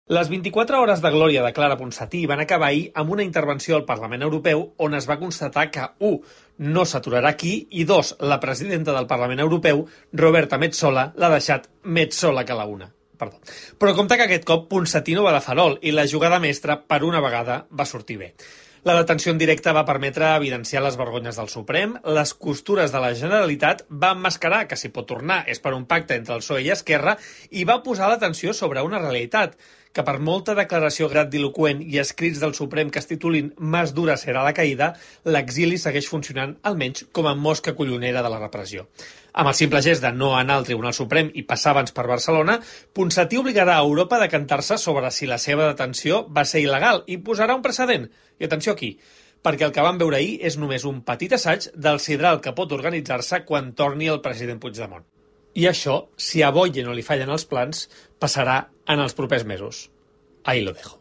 Les 24 hores de glòria de Clara Ponsatí van acabar ahir amb una intervenció al Parlament Europeu on es va constatar que 1. No s'aturarà aquí i 2. La presidenta del Parlament Europeu, Roberta Metsola, l'ha deixat més sola que la una. Perdó. Però compte que aquest cop Ponsatí no va de farol i la jugada mestra, per una vegada, va sortir bé. La detenció en directe va permetre evidenciar les vergonyes del Suprem, les costures de la Generalitat, va emmascarar que si pot tornar és per un pacte entre el PSOE i Esquerra i va posar l'atenció sobre una realitat, que per molta declaració grandiloqüent i escrits del Suprem que es titulin «Más dura serà la caïda», l'exili segueix funcionant almenys com a mosca collonera de la repressió. Amb el simple gest de no anar al Tribunal Suprem i passar abans per Barcelona, Ponsatí obligarà a Europa a decantar-se sobre si la seva detenció va ser il·legal i posarà un precedent. I atenció aquí, perquè el que vam veure ahir és només un petit assaig del sidral que pot organitzar-se quan torni el president Puigdemont. I això, si a Boye no li fallen els plans, passarà en els propers mesos. Ahí lo dejo.